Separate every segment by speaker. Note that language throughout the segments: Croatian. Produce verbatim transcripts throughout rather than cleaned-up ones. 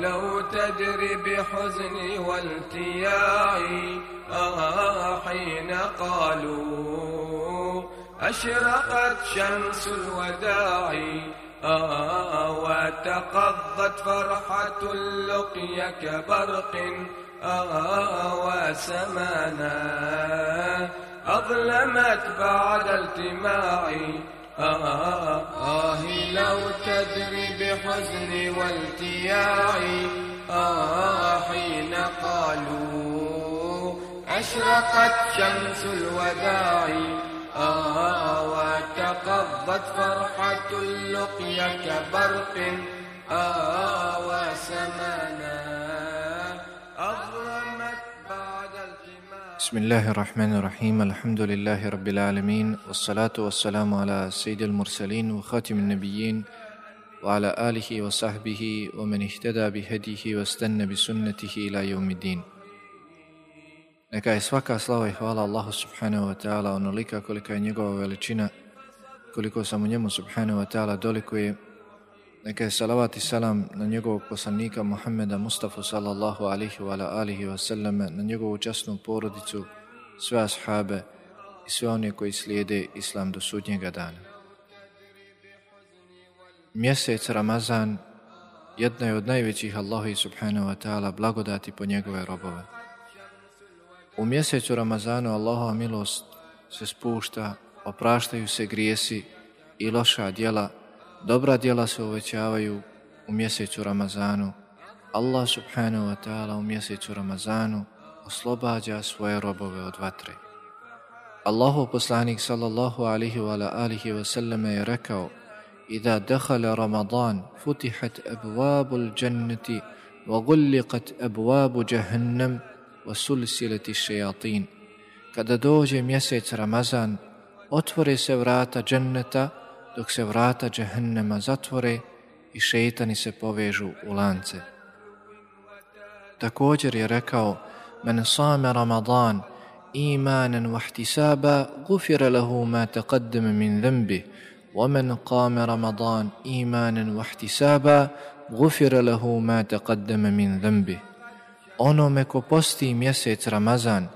Speaker 1: لو تدري بحزني والتياعي آه حين قالوا أشرقت شمس الوداع آه وتقضت فرحة اللقيا كبرق آه وسمانا أظلمت بعد التماعي آه آه لو تدري بحزني والتياعي آه حين قالوا أشرقت شمس الوداع آه وتقضت فرحة اللقيا كبرق آه وسمانا أظلمت بعد التماع.
Speaker 2: بسم الله الرحمن الرحيم. الحمد لله رب العالمين، والصلاة والسلام على سيد المرسلين وخاتم النبيين وعلى آله وصحبه ومن اهتدى بهديه واستنى بسنته إلى يوم الدين. Neka je svaka slava i hvala Allahu subhanahu wa ta'ala onolika kolika je njegova veličina, koliko samo njemu subhanahu wa ta'ala dolikuje. Neka je salavat i salam na njegovog poslanika Muhammeda Mustafa sallallahu alihi wa alihi wa sallam, na njegovu časnu porodicu, sve ashabe i sve one koji slijede islam do sudnjega dana. Mjesec Ramazan jedna je od najvećih Allahovi subhanahu wa ta'ala blagodati po njegove robove. U mjesecu Ramazanu Allahova milost se spušta, opraštaju se grijesi i loša djela, dobra djela se uvećavaju u mjesecu Ramazanu. Allah subhanahu wa ta'ala u mjesecu Ramazanu oslobađa svoje robove od vatre. Allahov poslanik sallallahu alihi wa alihi wa sallam je rekao: Iza dakhala Ramadan futihat abwabul jannati wa gulliqat abwabu jahannam wa sulsilati shayatin. Kada dođe mjesec Ramazan, otvore se vrata dženneta, dok se vrata džehennema zatvore i šejtani se povežu u lance. Također je rekao: Men sama Ramadan imanan wa ihtisaba gufira lahu ma taqaddama min dhanbi wa men qama Ramadan imanan wa ihtisaba gufira lahu ma taqaddama min dhanbi. Onome ko posti mjesec Ramazan,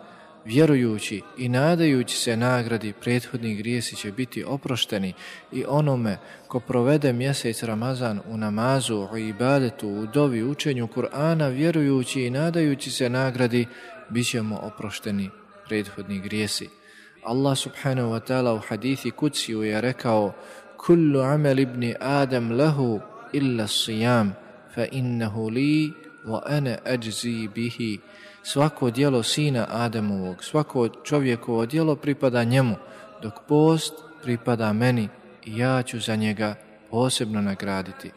Speaker 2: vjerujući i nadajući se nagradi, prethodni grijesi će biti oprošteni, i onome ko provede mjesec Ramazan u namazu, u ibadetu, u dovi, učenju Kur'ana, vjerujući i nadajući se nagradi, bit će mu oprošteni prethodni grijesi. Allah subhanahu wa ta'ala u hadithi kudsiju je rekao: Kullu amal ibni Adam lahu illa siyam, fa innahu li wa ana ajzi bihi. Svako djelo sina Adamovog, svako čovjekovo djelo pripada njemu, dok post pripada meni i ja ću za njega posebno nagraditi.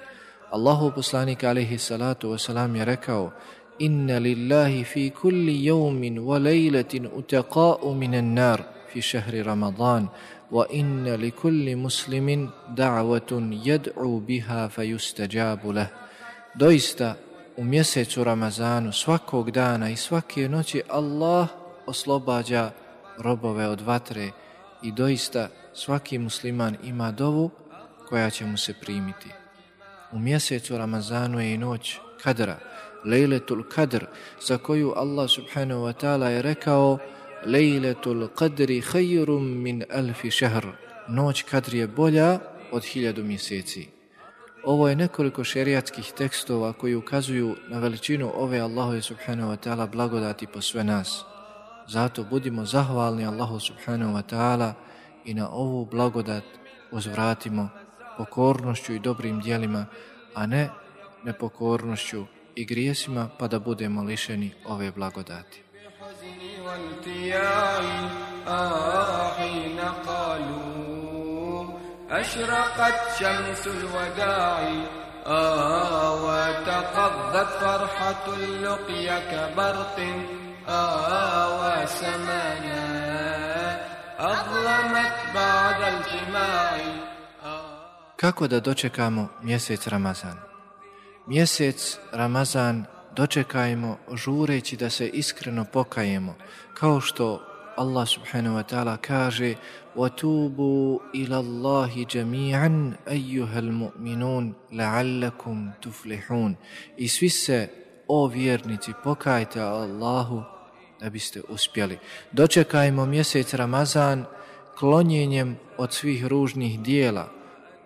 Speaker 2: Allahov poslanik alejhi salatu wasalam je rekao: Inna lillahi fi kulli yawmin wa laylatin utaqa'u minan nar fi shahri Ramadan wa inna li kulli muslimin da'watun yad'u biha fayustajabu lah. Doista u mjesecu Ramazanu svakog dana i svake noći Allah oslobađa robove od vatre i doista svaki musliman ima dovu koja će mu se primiti. U mjesecu Ramazanu je i noć Kadra, Lejletul Kadr, za koju Allah subhanahu wa ta'ala je rekao: Lejletul Kadri khayrum min alfi šehr. Noć Kadr je bolja od hiljadu mjeseci. Ovo je nekoliko šerijatskih tekstova koji ukazuju na veličinu ove Allahove subhanahu wa ta'ala blagodati po sve nas. Zato budimo zahvalni Allahu subhanahu wa ta'ala i na ovu blagodat uzvratimo pokornošću i dobrim djelima, a ne nepokornošću i grijesima, pa da budemo lišeni ove blagodati.
Speaker 1: أشرقت شمس الوداع آه وتقضت فرحة اللقيا كبرق آه وسمانا أظلمت بعد الجماع.
Speaker 2: Kako da dočekamo mjesec Ramazan? Mjesec Ramazan dočekajmo žureći da se iskreno pokajemo, kao što Allah subhanahu wa ta'ala kaže وَتُوبُوا إِلَى اللَّهِ جَمِيعًا أَيُّهَا الْمُؤْمِنُونَ لَعَلَّكُمْ تُفْلِحُونَ. I svi se, o vjernici, pokajte Allahu da biste uspjeli. Dočekajmo mjesec Ramazan klonjenjem od svih ružnih dijela,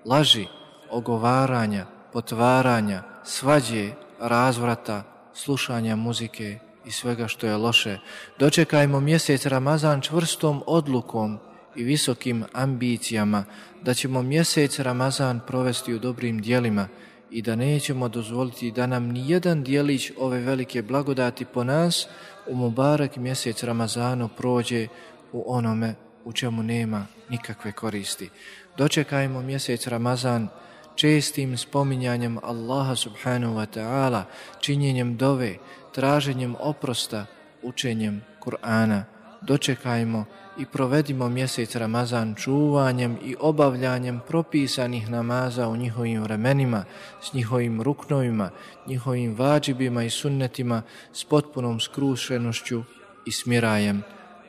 Speaker 2: laži, ogovaranja, potvaranja, svađe, razvrata, slušanja muzike i svega što je loše. Dočekajmo mjesec Ramazan čvrstom odlukom i visokim ambicijama da ćemo mjesec Ramazan provesti u dobrim djelima i da nećemo dozvoliti da nam ni jedan djelić ove velike blagodati po nas u mubarak mjesec Ramazanu prođe u onome u čemu nema nikakve koristi. Dočekajmo mjesec Ramazan čestim spominjanjem Allaha subhanahu wa ta'ala, činjenjem dove, traženjem oprosta, učenjem Kur'ana. Dočekajmo i provedimo mjesec Ramazan čuvanjem i obavljanjem propisanih namaza u njihovim vremenima, s njihovim ruknovima, njihovim vađibima i sunnetima, s potpunom skrušenošću i smirajem.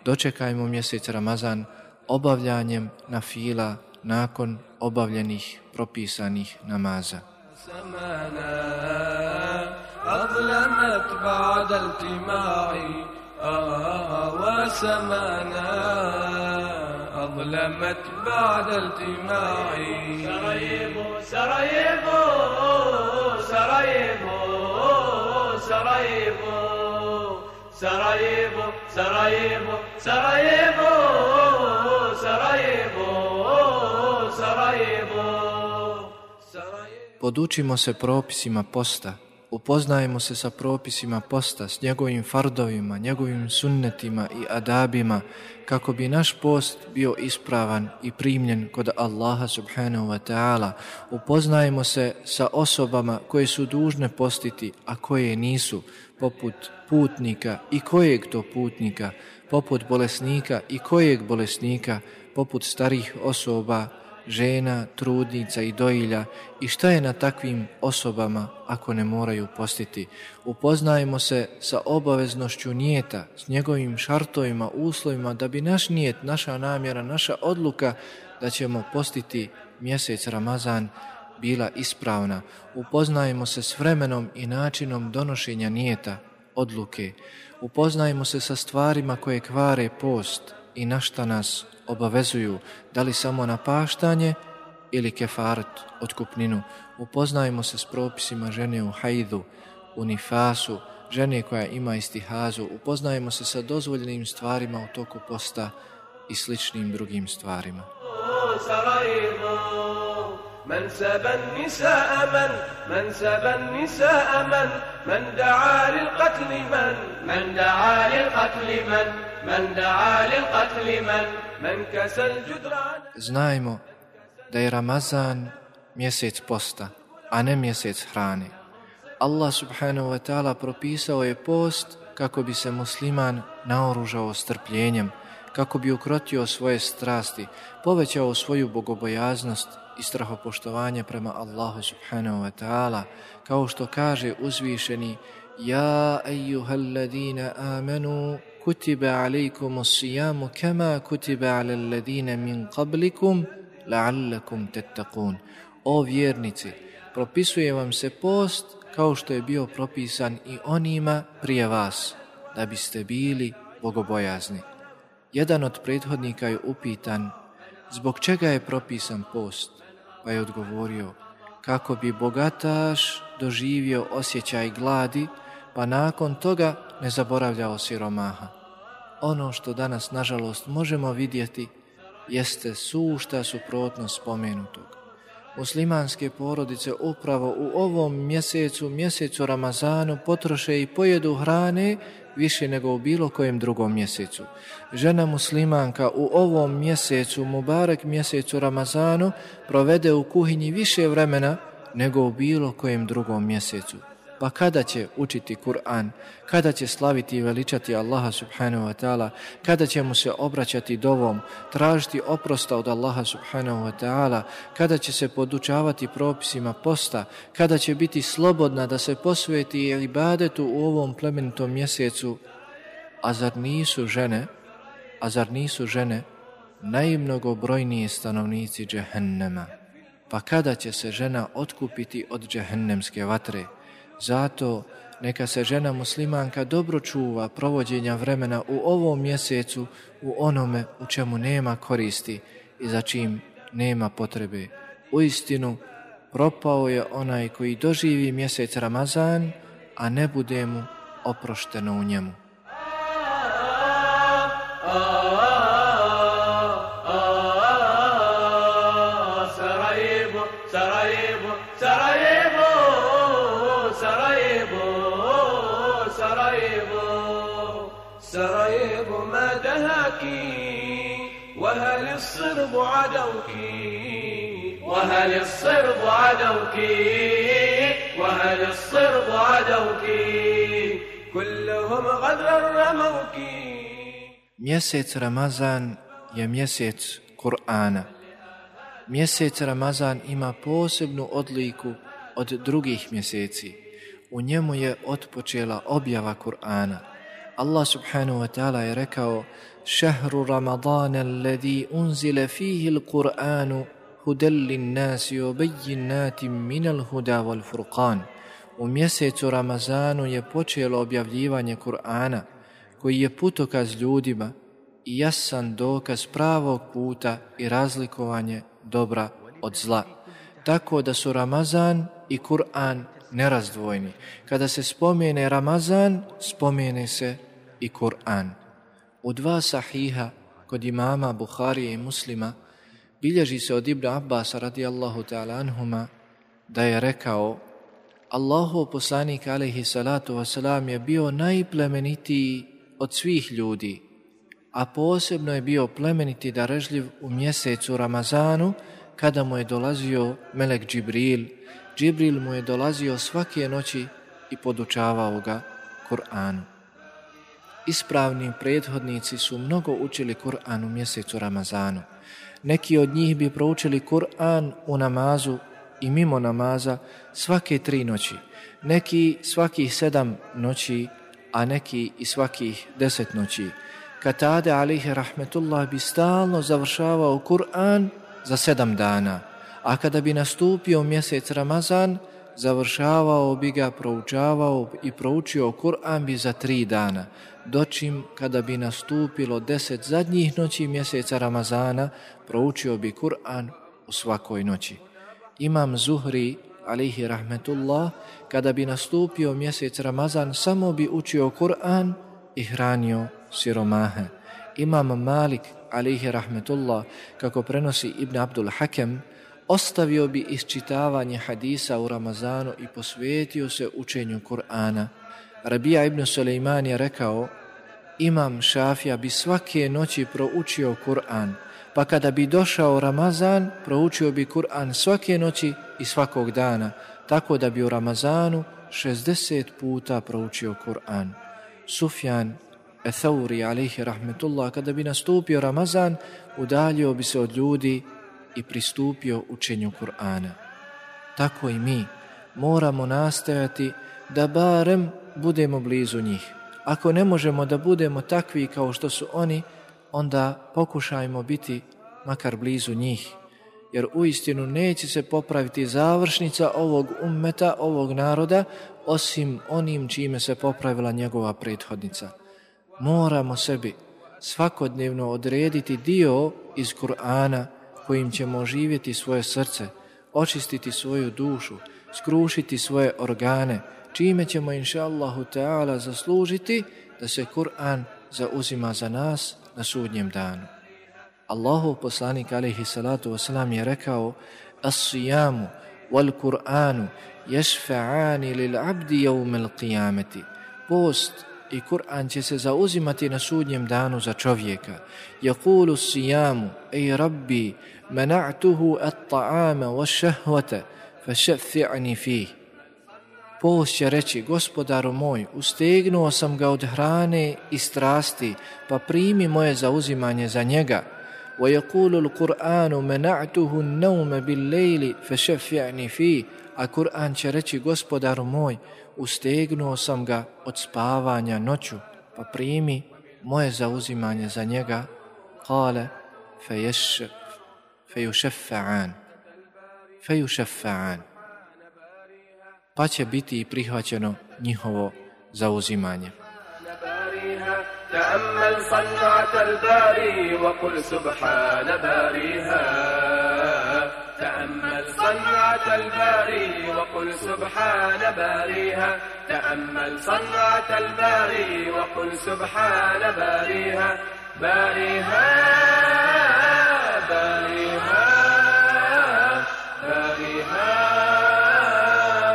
Speaker 2: Dočekajmo mjesec Ramazan obavljanjem nafila nakon obavljenih propisanih namaza.
Speaker 1: أظلمت بعد التماعي وسمانا أظلمت بعد التماعي
Speaker 3: سراييفو سراييفو سراييفو سراييفو سراييفو سراييفو سراييفو سراييفو سراييفو.
Speaker 2: Podučimo se propisima posta, upoznajemo se sa propisima posta, s njegovim fardovima, njegovim sunnetima i adabima, kako bi naš post bio ispravan i primljen kod Allaha subhanahu wa ta'ala. Upoznajemo se sa osobama koje su dužne postiti, a koje nisu, poput putnika i kojeg to putnika, poput bolesnika i kojeg bolesnika, poput starih osoba, žena, trudnica i dojilja, i šta je na takvim osobama ako ne moraju postiti. Upoznajemo se sa obaveznošću nijeta, s njegovim šartovima, uslovima, da bi naš nijet, naša namjera, naša odluka da ćemo postiti mjesec Ramazan bila ispravna. Upoznajemo se s vremenom i načinom donošenja nijeta, odluke. Upoznajemo se sa stvarima koje kvare post i na šta nas obavezuju, da li samo na paštanje ili kefaret, otkupninu. Upoznajemo se s propisima žene u hajdu, u nifasu, žene koja ima istihazu. Upoznajemo se sa dozvoljenim stvarima u toku posta i sličnim drugim stvarima.
Speaker 3: من سبى النساء من من سبى النساء من من دعا للقتل من من دعا للقتل من من دعا للقتل من من كسى الجدران.
Speaker 2: Znajmo da je Ramazan mjesec posta, a ne mjesec hrane. Allah subhanahu wa ta'ala propisao je post kako bi se musliman naoružao strpljenjem, kako bi ukrotio svoje strasti, povećao svoju bogobojaznost i strahopoštovanje prema Allahu subhanahu wa ta'ala, kao što kaže uzvišeni: Ja ejuhalladina amanu kutiba alejkumus sijamu kama kutiba alal ladina min qablikum la'allakum tattaqun. O vjernici, propisuje vam se post kao što je bio propisan i onima prije vas, da biste bili bogobojazni. Jedan od prethodnika je upitan zbog čega je propisan post, pa je odgovorio: kako bi bogataš doživio osjećaj gladi, pa nakon toga ne zaboravljao siromaha. Ono što danas, nažalost, možemo vidjeti jeste sušta suprotnost spomenutog. Muslimanske porodice upravo u ovom mjesecu, mjesecu Ramazanu, potroše i pojedu hrane više nego u bilo kojem drugom mjesecu. Žena muslimanka u ovom mjesecu, mubarak mjesecu Ramazanu, provede u kuhinji više vremena nego u bilo kojem drugom mjesecu. Pa kada će učiti Kur'an, kada će slaviti i veličati Allaha subhanahu wa ta'ala, kada će mu se obraćati dovom, tražiti oprosta od Allaha subhanahu wa ta'ala, kada će se podučavati propisima posta, kada će biti slobodna da se posveti ibadetu u ovom plemenitom mjesecu. A zar nisu žene, a zar nisu žene najmnogobrojniji stanovnici džehennema? Pa kada će se žena otkupiti od džehennemske vatre? Zato neka se žena muslimanka dobro čuva provođenja vremena u ovom mjesecu, u onome u čemu nema koristi i za čim nema potrebe. Uistinu, propao je onaj koji doživi mjesec Ramazan, a ne bude mu oprošteno u njemu.
Speaker 3: سرايب ما دهاك وهل الصرب عدوك وهل الصرب عدوك وهل الصرب عدوك كلهم غدر رموك.
Speaker 2: Mjesec Ramazan je mjesec Kur'ana. Mjesec Ramazan ima posebnu odliku od drugih mjeseci. U njemu je otpočela objava Kur'ana. Allah subhanahu wa ta'ala je rekao: šahru Ramadana alladhi unzila fihi al-Qur'anu hudan lin-nasi wa bayyinatin min al-huda wal-furqan. U mjesecu Ramazanu je počelo objavljivanje Kur'ana, koji je putokaz ljudima i jasan dokaz pravog puta i razlikovanje dobra od zla. Tako da su Ramazan i Kur'an nerazdvojni. Kada se spomene Ramazan, spomene se i Kur'an. U dva sahiha kod imama Buharije i Muslima bilježi se od Ibn Abbasa radijallahu ta'ala anhuma da je rekao: Allahov poslanik alejhi salatu wasalam je bio najplemenitiji od svih ljudi, a posebno je bio plemeniti darežljiv u mjesecu Ramazanu, kada mu je dolazio melek Džibril. Džibril mu je dolazio svake noći i podučavao ga Kur'anu. Ispravni prethodnici su mnogo učili Kur'an u mjesecu Ramazanu. Neki od njih bi proučili Kur'an u namazu i mimo namaza svake tri noći, neki svakih sedam noći, a neki i svakih deset noći. Katade alejhi rahmetullah bi stalno završavao Kur'an za sedam dana, a kada bi nastupio mjesec Ramazan, završavao bi ga, proučavao i proučio Kur'an bi za tri dana, dočim kada bi nastupilo deset zadnjih noći mjeseca Ramazana, proučio bi Kur'an u svakoj noći. Imam Zuhri alejhi rahmetullah, kada bi nastupio mjesec Ramazan, samo bi učio Kur'an i hranio siromahe. Imam Malik alejhi rahmetullah, kako prenosi Ibn Abdul Hakem, ostavio bi isčitavanje hadisa u Ramazanu i posvetio se učenju Kur'ana. Rabija ibn Sulejman je rekao: Imam Šafija bi svake noći proučio Kur'an, pa kada bi došao Ramazan, proučio bi Kur'an svake noći i svakog dana, tako da bi u Ramazanu šezdeset puta proučio Kur'an. Sufjan Ethauri alejhi rahmetullah, kada bi nastupio Ramazan, udaljio bi se od ljudi i pristupio učenju Kur'ana. Tako i mi moramo nastojati da barem budemo blizu njih. Ako ne možemo da budemo takvi kao što su oni, onda pokušajmo biti makar blizu njih, jer uistinu neće se popraviti završnica ovog ummeta, ovog naroda, osim onim čime se popravila njegova prethodnica. Moramo sebi svakodnevno odrediti dio iz Kur'ana kojim ćemo oživjeti svoje srce, očistiti svoju dušu, skrušiti svoje organe, čime ćemo inša Allahu Teala zaslužiti da se Kur'an zauzima za nas na sudnjem danu. Allahov poslanik alejhi salatu wasalam je rekao: As-sijamu wal Kur'anu yashfa'ani lil abdi yawm al-qiyamati. Post i Kur'an će se zauzimati na sudnjem danu za čovjeka. Yaqulu as-sijamu: Ej Rabbi, mana'tuhu at-ta'ama wash-shahwata fashaffi'ni fih. Post će reći: Gospodaru moj, ustegnuo sam ga od hrane i strasti, pa primi moje zauzimanje za njega. وَيَقُولُ الْقُرْآنُ مَنَعْتُهُ النَّوْمَ بِالْلَيْلِ فَشَفِّعْنِ فِيهِ. A Kur'an će reći: Gospodaru moj, ustegnuo sam ga od spavanja noću, pa primi moje zauzimanje za njega قال فيش فيشفعان فيشفعان pa će biti prihvaćeno njihovo zauzimanje.
Speaker 3: تأمل صنعة الباري وقل سبحان باريها تأمل صنعة الباري وقل سبحان باريها تأمل صنعة الباري وقل سبحان باريها باريها باريها باريها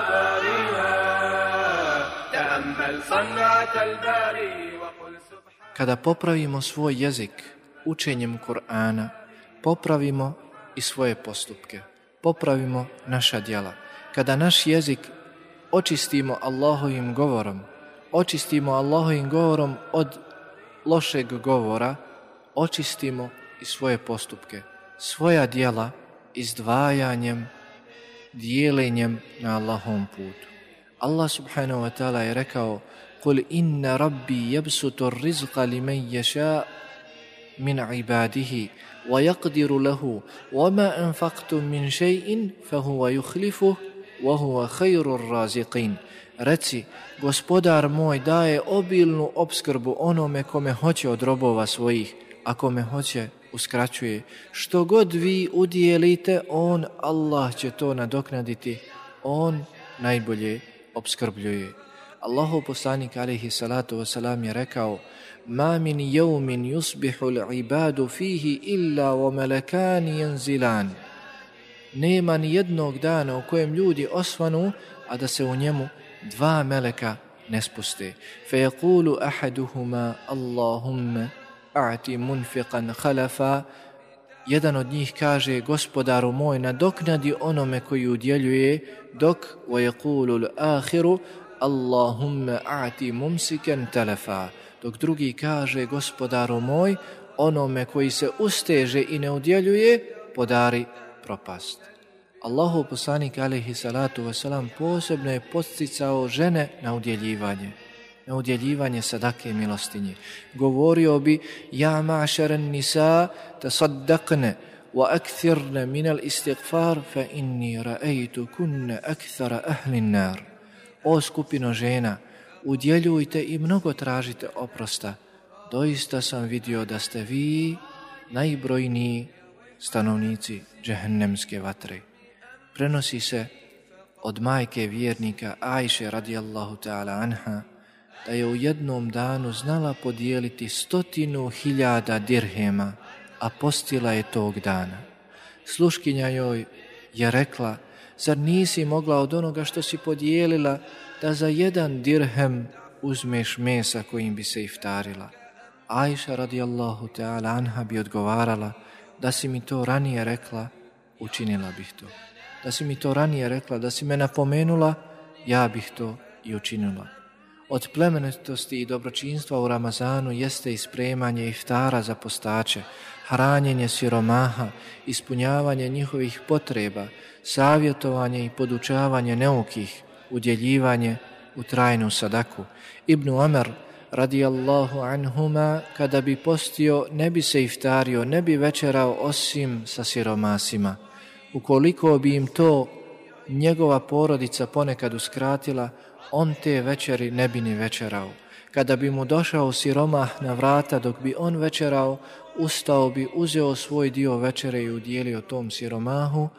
Speaker 3: باريها تأمل صنعة الباري
Speaker 2: Kada popravimo svoj jezik učenjem Kur'ana, popravimo i svoje postupke, popravimo naša djela. Kada naš jezik očistimo Allahovim govorom, očistimo Allahovim govorom od lošeg govora, očistimo i svoje postupke, svoja djela izdvajanjem, dijelenjem na Allahovom putu. Allah subhanahu wa ta'ala je rekao: قل إن ربي يبسط الرزق لمن يشاء من عباده ويقدر له وما أنفقتم من شيء فهو يخلفه وهو خير الرازقين. Reci, gospodar moj daje obilnu opskrbu onome kome hoće od robova svojih, a kome hoće uskraćuje. Što god vi udijelite, on, Allah, će to nadoknaditi. On najbolje opskrbljuje. Allahov poslanik alejhi salatu vesselam je rekao: "Ma min yawmin yusbihu al-ibadu fihi illa wa malakani yanzilan." Nema ni jednog dana u kojem ljudi osvanu, a da se u njemu dva meleka ne spuste. Fa yaqulu ahaduhuma Allahumma a'ti munfiqan khalafa. Jedan od njih kaže: gospodaru moj, nadoknadi onome koji udjeljuje, dok wa yaqulu al-akhiru Allahumma a'ti mumsikan talafa. Dok drugi kaže: gospodaru moj, onome koji se usteže i ne udjeljuje, podari propast. Allahov poslanik alejhi salatu vesselam posebno je podsticao žene na udjeljivanje, na udjeljivanje sadake milostinje. Govorio bi: ja ma'šaran nisa tasaddaqna wa akthirna min al-istighfar fa inni ra'aytu kunna akthara ahli an-nar. O skupino žena, udjeljujte i mnogo tražite oprosta. Doista sam vidio da ste vi najbrojniji stanovnici džehennemske vatre. Prenosi se od majke vjernika Ajše radijallahu ta'ala anha da je u jednom danu znala podijeliti stotinu hiljada dirhema, a postila je tog dana. Sluškinja joj je rekla: zar nisi mogla od onoga što si podijelila da za jedan dirhem uzmeš mesa kojim bi se iftarila? Ajša radijallahu ta'ala anha bi odgovarala: da si mi to ranije rekla, učinila bih to. Da si mi to ranije rekla, da si me napomenula, ja bih to i učinila. Od plemenitosti i dobročinstva u Ramazanu jeste ispremanje iftara za postače, hranjenje siromaha, ispunjavanje njihovih potreba, savjetovanje i podučavanje neukih, udjeljivanje u trajnu sadaku. Ibn Omer radijallahu anhuma kada bi postio ne bi se iftario, ne bi večerao osim sa siromasima. Ukoliko bi im to njegova porodica ponekad uskratila, on te večeri ne bi ni večerao. Kada bi mu došao siromah na vrata dok bi on večerao, ustao bi, uzeo svoj dio večere i udjelio tom siromahu,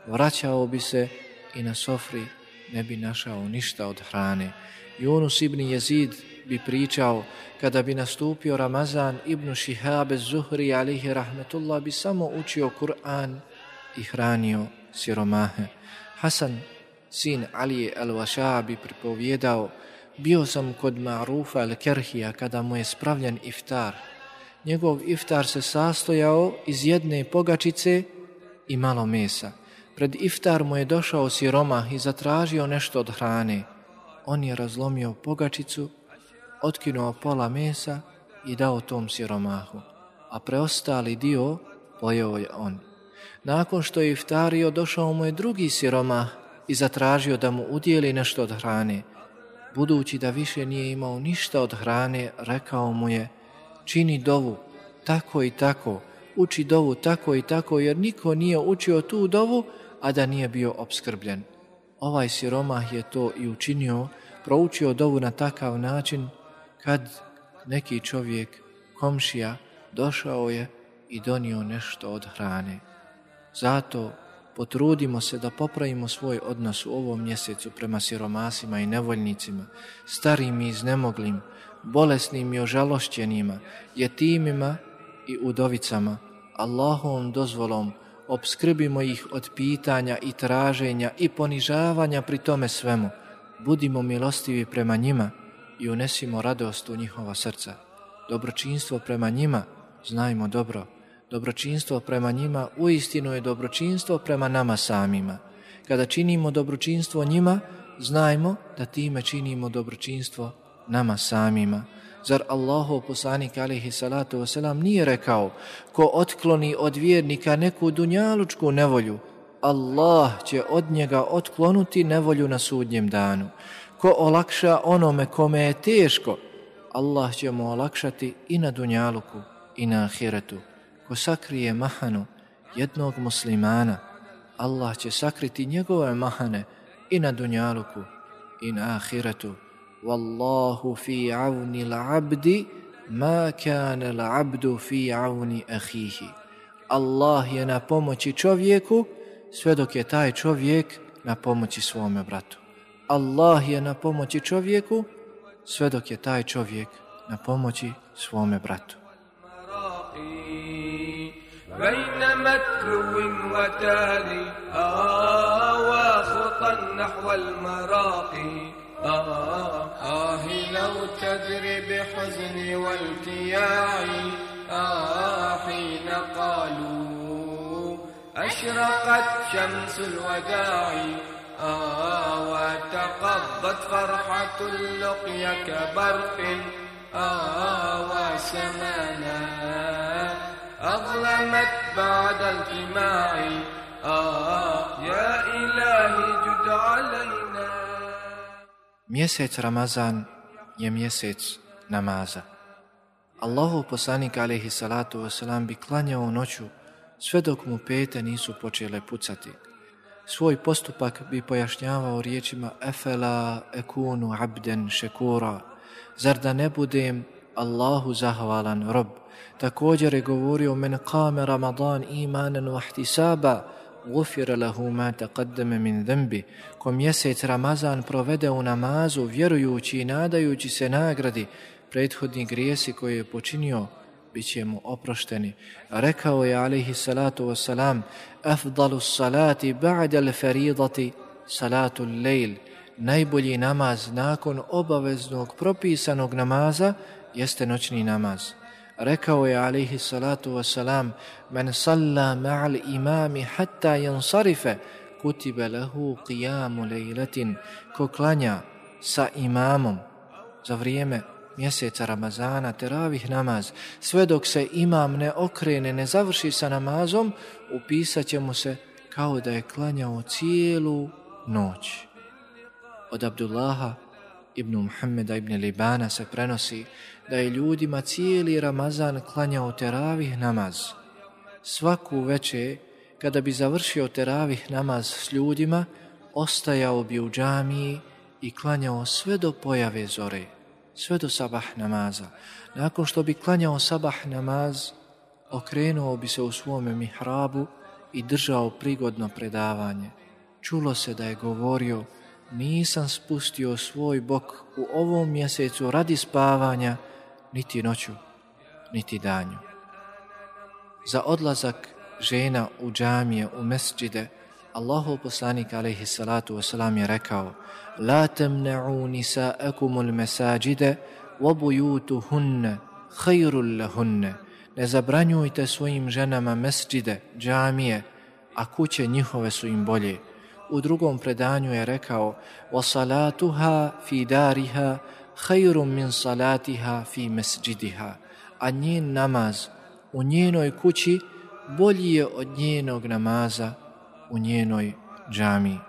Speaker 2: vraćao bi se i na sofri ne bi našao ništa od hrane. Yunus ibn Jezid bi pričao: kada bi nastupio Ramazan, Ibn Šihab az-Zuhri alejhi rahmetullah bi samo učio Kur'an i hranio siromahe. Hasan, sin Alije al-Vaša, bi pripovjedao: bio sam kod Ma'rufa al-Kerhija kada mu je spravljen iftar. Njegov iftar se sastojao iz jedne pogačice i malo mesa. Pred iftar mu je došao siromah i zatražio nešto od hrane. On je razlomio pogačicu, otkinuo pola mesa i dao tom siromahu, a preostali dio pojeo je on. Nakon što je iftario, došao mu je drugi siromah i zatražio da mu udijeli nešto od hrane. Budući da više nije imao ništa od hrane, rekao mu je: čini dovu tako i tako, uči dovu tako i tako, jer niko nije učio tu dovu, a da nije bio opskrbljen. Ovaj siromah je to i učinio, proučio dovu na takav način kad neki čovjek, komšija, došao je i donio nešto od hrane. Zato potrudimo se da popravimo svoj odnos u ovom mjesecu prema siromasima i nevoljnicima, starim i iznemoglim, bolesnim i ožalošćenima, jetimima i udovicama. Allahovom dozvolom opskrbimo ih od pitanja i traženja i ponižavanja pri tome svemu. Budimo milostivi prema njima i unesimo radost u njihova srca. Dobročinstvo prema njima, znajmo dobro, dobročinstvo prema njima uistinu je dobročinstvo prema nama samima. Kada činimo dobročinstvo njima, znajmo da time činimo dobročinstvo nama samima. Zar Allahov poslanik alejhi salatu vesselam nije rekao: ko otkloni od vjernika neku dunjalučku nevolju, Allah će od njega otklonuti nevolju na sudnjem danu. Ko olakša onome kome je teško, Allah će mu olakšati i na dunjaluku i na ahiretu. Ko sakrije mahanu jednog muslimana, Allah će sakriti njegove mahane i na dunjaluku i na ahiretu. Wallahu fi avni l'abdi ma kana l'abdu fi avni ahihi. Allah je na pomoći čovjeku sve dok je taj čovjek na pomoći svome bratu. Allah je na pomoći čovjeku sve dok je taj čovjek na pomoći svome bratu.
Speaker 1: بين متلو وتالي آه وخطا نحو المراقي آه آه لو تدري بحزني والتياعي آه حين قالوا أشرقت شمس الوداع آه وتقضت فرحة اللقيا كبرق آه وسمانا أظلمت بعد الجماع آه يا إلهي جد علينا.
Speaker 2: Mjesec Ramazan je mjesec namaza. Allahov poslanik alejhi salatu vesselam bi klanjao noću sve dok mu pete nisu počele pucati. Svoj postupak bi pojašnjavao riječima efela ekunu abden šekura. Zar da ne budem Allahu zahvalan rob? Također je govorio men qame Ramadan imanan wa ihtisaba gufira lahu ma taqaddama min dhanbi. Ko mjesec Ramazan provede u namazu vjerujući i nadajući se nagradi, prethodni grijesi koje je počinio bit će mu oprošteni. Rekao je alejhi salatu wassalam: afdalu salati ba'da al-faridati salatu al-layl. Najbolji namaz nakon obaveznog propisanog namaza jeste noćni namaz. Rekao je alejhi salatu wassalam: men salla ma'al imami hatta yansarifa kutiba lahu qiyamu laylatin. Ko klanja sa imamom za vrijeme mjeseca Ramazana teravih namaz, sve dok se imam ne okrene, ne završi sa namazom, upisat će mu se kao da je klanjao cijelu noć. Od Abdullaha ibn Muhammeda ibn Libana se prenosi da je ljudima cijeli Ramazan klanjao teravih namaz. Svaku večer, kada bi završio teravih namaz s ljudima, ostajao bi u džamiji i klanjao sve do pojave zore, sve do sabah namaza. Nakon što bi klanjao sabah namaz, okrenuo bi se u svome mihrabu i držao prigodno predavanje. Čulo se da je govorio: nisam spustio svoj bok u ovom mjesecu radi spavanja, niti noću, niti danju. Za odlazak žena u džamije, u mesdžide, Allahov poslanik alejhi salatu vesselam je rekao: la tamna'u nisa'akumul masajida wa buyutuhunna khairul lahunna. Ne zabranjujte svojim ženama mesdžide, džamije, a kuće njihove su im bolje. U drugom predanju je rekao: وَصَلَاتُهَا فِي دَارِهَا خَيْرٌ مِنْ صَلَاتِهَا فِي مَسْجِدِهَا. A njen namaz u njenoj kući bolji je od njenog namaza u njenoj džamiji.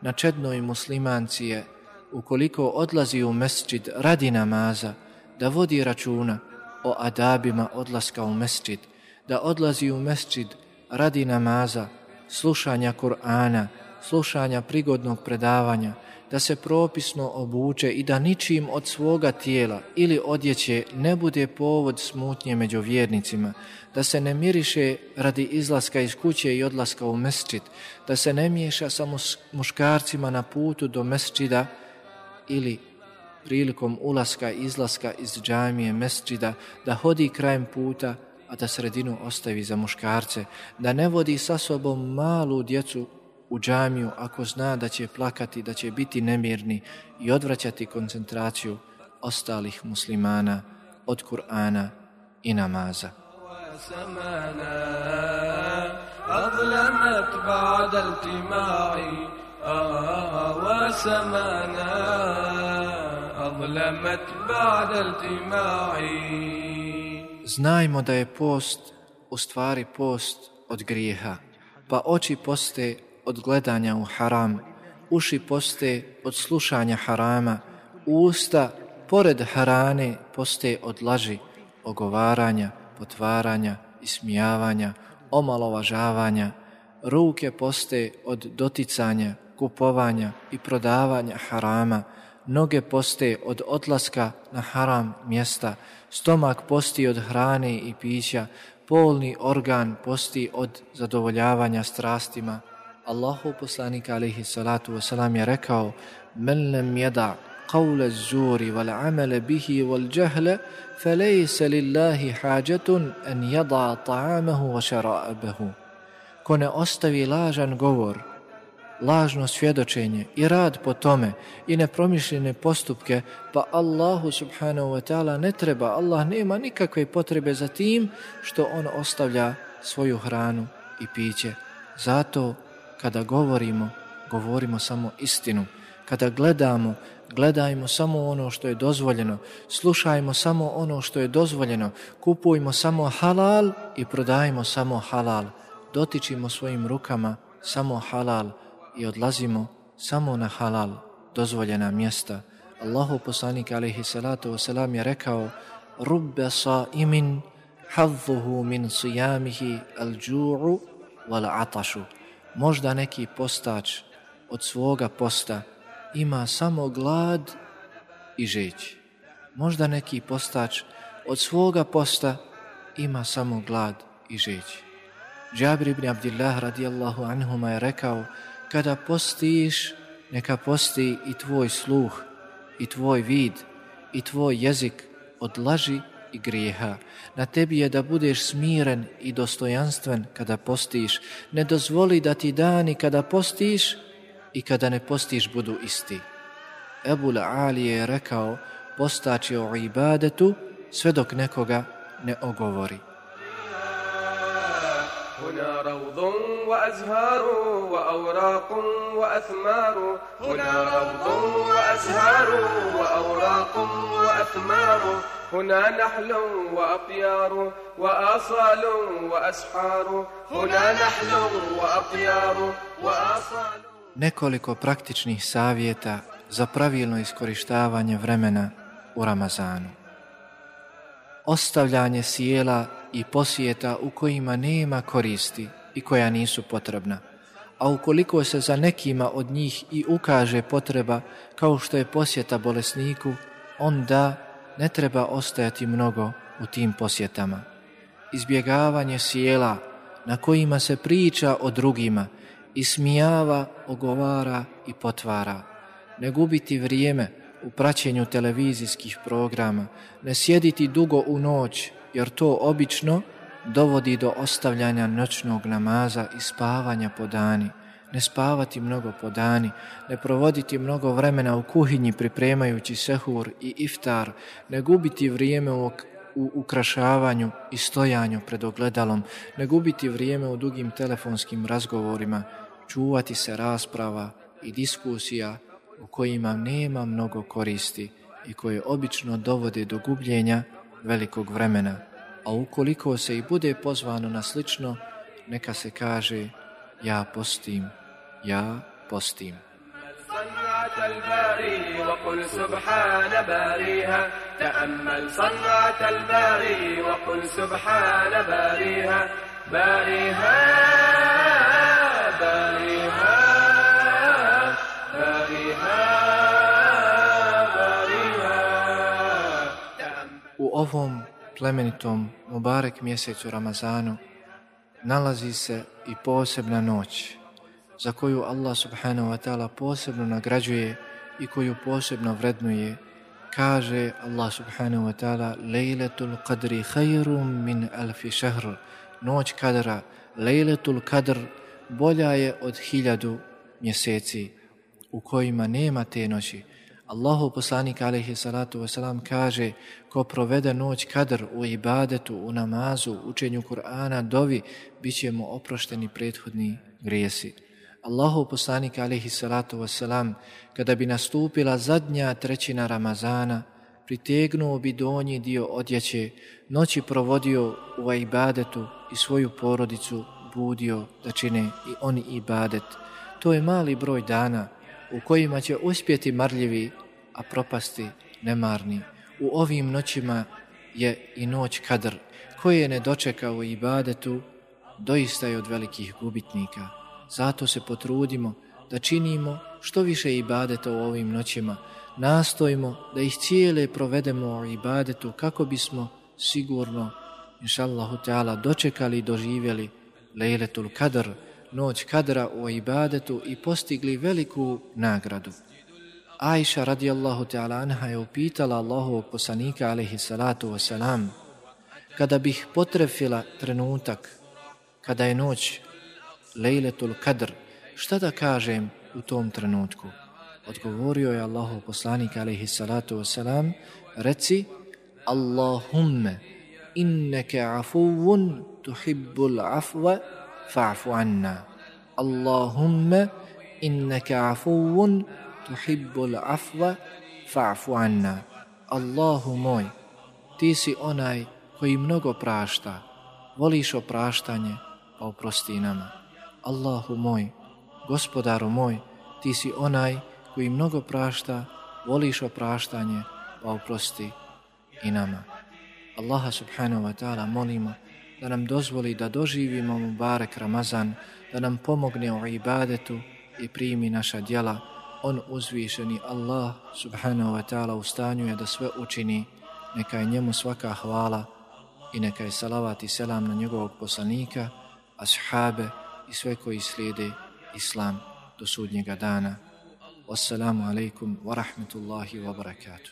Speaker 2: Na čednoj muslimanci je, ukoliko odlazi u mesdžid radi namaza, da vodi računa o adabima odlaska u mesdžid, da odlazi u mesdžid radi namaza, slušanja Kur'ana, slušanja prigodnog predavanja, da se propisno obuče i da ničim od svoga tijela ili odjeće ne bude povod smutnje među vjernicima, da se ne miriše radi izlaska iz kuće i odlaska u mesdžid, da se ne miješa sa muškarcima na putu do mesdžida ili prilikom ulaska i izlaska iz džamije mesdžida, da hodi krajem puta, a da sredinu ostavi za muškarce, da ne vodi sa sobom malu djecu u džamiju ako zna da će plakati, da će biti nemirni i odvraćati koncentraciju ostalih muslimana od Kur'ana i namaza. Znajmo da je post u stvari post od grijeha, pa oči poste od gledanja u haram, uši poste od slušanja harama, usta pored harane poste od laži, ogovaranja, potvaranja, ismijavanja, omalovažavanja, ruke poste od doticanja, kupovanja i prodavanja harama, noge poste od odlaska na haram mjesta, stomak posti od hrane i pića, polni organ posti od zadovoljavanja strastima. Allahu poslanik alejhi salatu wasalam je rekao: "Men lam yada qawla az-zuri wal amala bihi wal jahla falaysa lillahi hajatun an yada ta'amahu wa sharabahu." Ko ne ostavi lažan govor, lažno svjedočenje i rad po tome i nepromišljene postupke, pa Allahu subhanahu wa ta'ala ne treba, Allah nema nikakve potrebe za tim što on ostavlja svoju hranu i piće. Zato kada govorimo, govorimo samo istinu. Kada gledamo, gledajmo samo ono što je dozvoljeno, slušajmo samo ono što je dozvoljeno, kupujmo samo halal i prodajmo samo halal, dotičimo svojim rukama samo halal i odlazimo samo na halal, dozvoljena mjesta. Allahu poslanik alejhi salatu wasalam je rekao: "Rubba sa'imin hadduhu min siyamihi al-ju'u wal-'atashu." Možda neki postač od svoga posta ima samo glad i žeđ. Možda neki postač od svoga posta ima samo glad i žeđ. Džabir ibn Abdillah radijallahu anhuma je rekao: "Kada postiš, neka posti i tvoj sluh, i tvoj vid, i tvoj jezik od laži i grijeha. Na tebi je da budeš smiren i dostojanstven kada postiš. Ne dozvoli da ti dani kada postiš i kada ne postiš budu isti." Ebul Ali je rekao: "Postač je o ibadetu sve dok nekoga ne ogovori."
Speaker 3: هنا روض وأزهار وأوراق وأثمار هنا روض وأزهار وأوراق وأثمار هنا نحل وأطيار وآصال وأسحار هنا نحل وأطيار وآصال.
Speaker 2: Nekoliko praktičnih savjeta za pravilno iskorištavanje vremena u Ramazanu. Ostavljanje sjela i posjeta u kojima nema koristi i koja nisu potrebna. A ukoliko se za nekima od njih i ukaže potreba, kao što je posjeta bolesniku, onda ne treba ostajati mnogo u tim posjetama. Izbjegavanje sjela na kojima se priča o drugima, ismijava, ogovara i potvara. Ne gubiti vrijeme u praćenju televizijskih programa, ne sjediti dugo u noć, jer to obično dovodi do ostavljanja noćnog namaza i spavanja po dani. Ne spavati mnogo po dani, ne provoditi mnogo vremena u kuhinji pripremajući sehur i iftar, ne gubiti vrijeme u, u ukrašavanju i stojanju pred ogledalom, ne gubiti vrijeme u dugim telefonskim razgovorima, čuvati se rasprava i diskusija u kojima nema mnogo koristi i koje obično dovode do gubljenja velikog vremena. A ukoliko se i bude pozvano na slično, neka se kaže: ja postim, ja postim.
Speaker 3: الباري وقل سبحان باريها تأمل صنعة الباري وقل سبحان باريها باريها باريها باريها باريها.
Speaker 2: U ovom plemenitom Mubarek mjesecu Ramazanu nalazi se i posebna noć za koju Allah subhanahu wa ta'ala posebno nagrađuje i koju posebno vrednuje. Kaže Allah subhanahu wa ta'ala: Lejletul qadri khayrum min alfi shahr. Noć kadra, Lejletul kadr, bolja je od hiljadu mjeseci u kojima nema te noći. Allahu poslanik alejhi salatu vesselam kaže: ko provede noć kadr u ibadetu, u namazu, učenju Kur'ana, dovi, bit će mu oprošteni prethodni grijesi. Allahu poslanik alejhi salatu vesselam, kada bi nastupila zadnja trećina Ramazana, pritegnuo bi donji dio odjeće, noći provodio u ibadetu i svoju porodicu budio da čine i oni ibadet. To je mali broj dana u kojima će uspjeti marljivi, a propasti nemarni. U ovim noćima je i noć kadr, koje ne dočeka u ibadetu, doista je od velikih gubitnika. Zato se potrudimo da činimo što više ibadeta u ovim noćima. Nastojimo da ih cijele provedemo u ibadetu kako bismo sigurno, inšallahu ta'ala, dočekali i doživjeli Lejletul kadr, noć kadra u ibadetu i postigli veliku nagradu. Ajša radijallahu ta'ala anha je upitala Allahovog poslanika alejhi salatu wasalam: kada bih potrefila trenutak kada je noć Lejletul kadr, šta da kažem u tom trenutku? Odgovorio je Allahov poslanik alejhi salatu wasalam: reci Allahumme inneke afuvun tuhibbul afwa fa'fu anna. Allahumme inneke afuvun tuhibbul afwa fa'fu anna. Allahu moj, ti si onaj koji mnogo prašta, voliš opraštanje, pa oprosti nama. Allahu moj, gospodaru moj, ti si onaj koji mnogo prašta, voliš opraštanje, pa oprosti i nama. Allaha subhanahu wa ta'ala molimo da nam dozvoli da doživimo Mubarek Ramazan, da nam pomogne u ibadetu i primi naša djela. On uzvišeni Allah subhanahu wa ta'ala u stanju je da sve učini. Neka je njemu svaka hvala i neka je salavat i selam na njegovog poslanika, ashabe i sve koji slijede Islam do sudnjega dana. Wassalamu alaikum wa rahmatullahi wa barakatuh.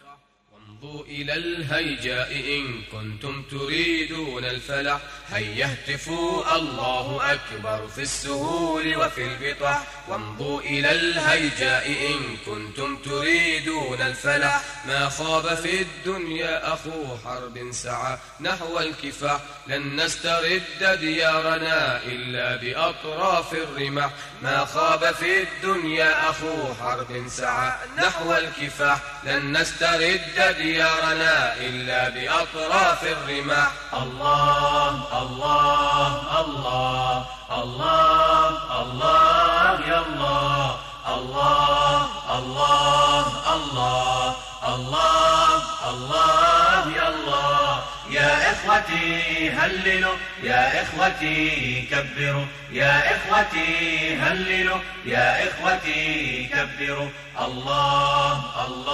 Speaker 3: وامضوا إلى الهيجاء إن كنتم تريدون الفلاح هيا اهتفوا الله أكبر في السهول وفي البطح. وامضوا إلى الهيجاء إن كنتم تريدون الفلاح ما خاب في الدنيا أخو حرب سعى نحو الكفاح لن نسترد ديارنا إلا بأطراف الرماح. ما خاب في الدنيا أخو حرب سعى نحو الكفاح لن نسترد ديارنا إلا بأطراف الرماح. الله الله الله الله الله يا الله الله الله الله الله الله يا الله. يا إخوتي هللوا يا إخوتي كبروا يا إخوتي هللوا يا إخوتي كبروا. الله الله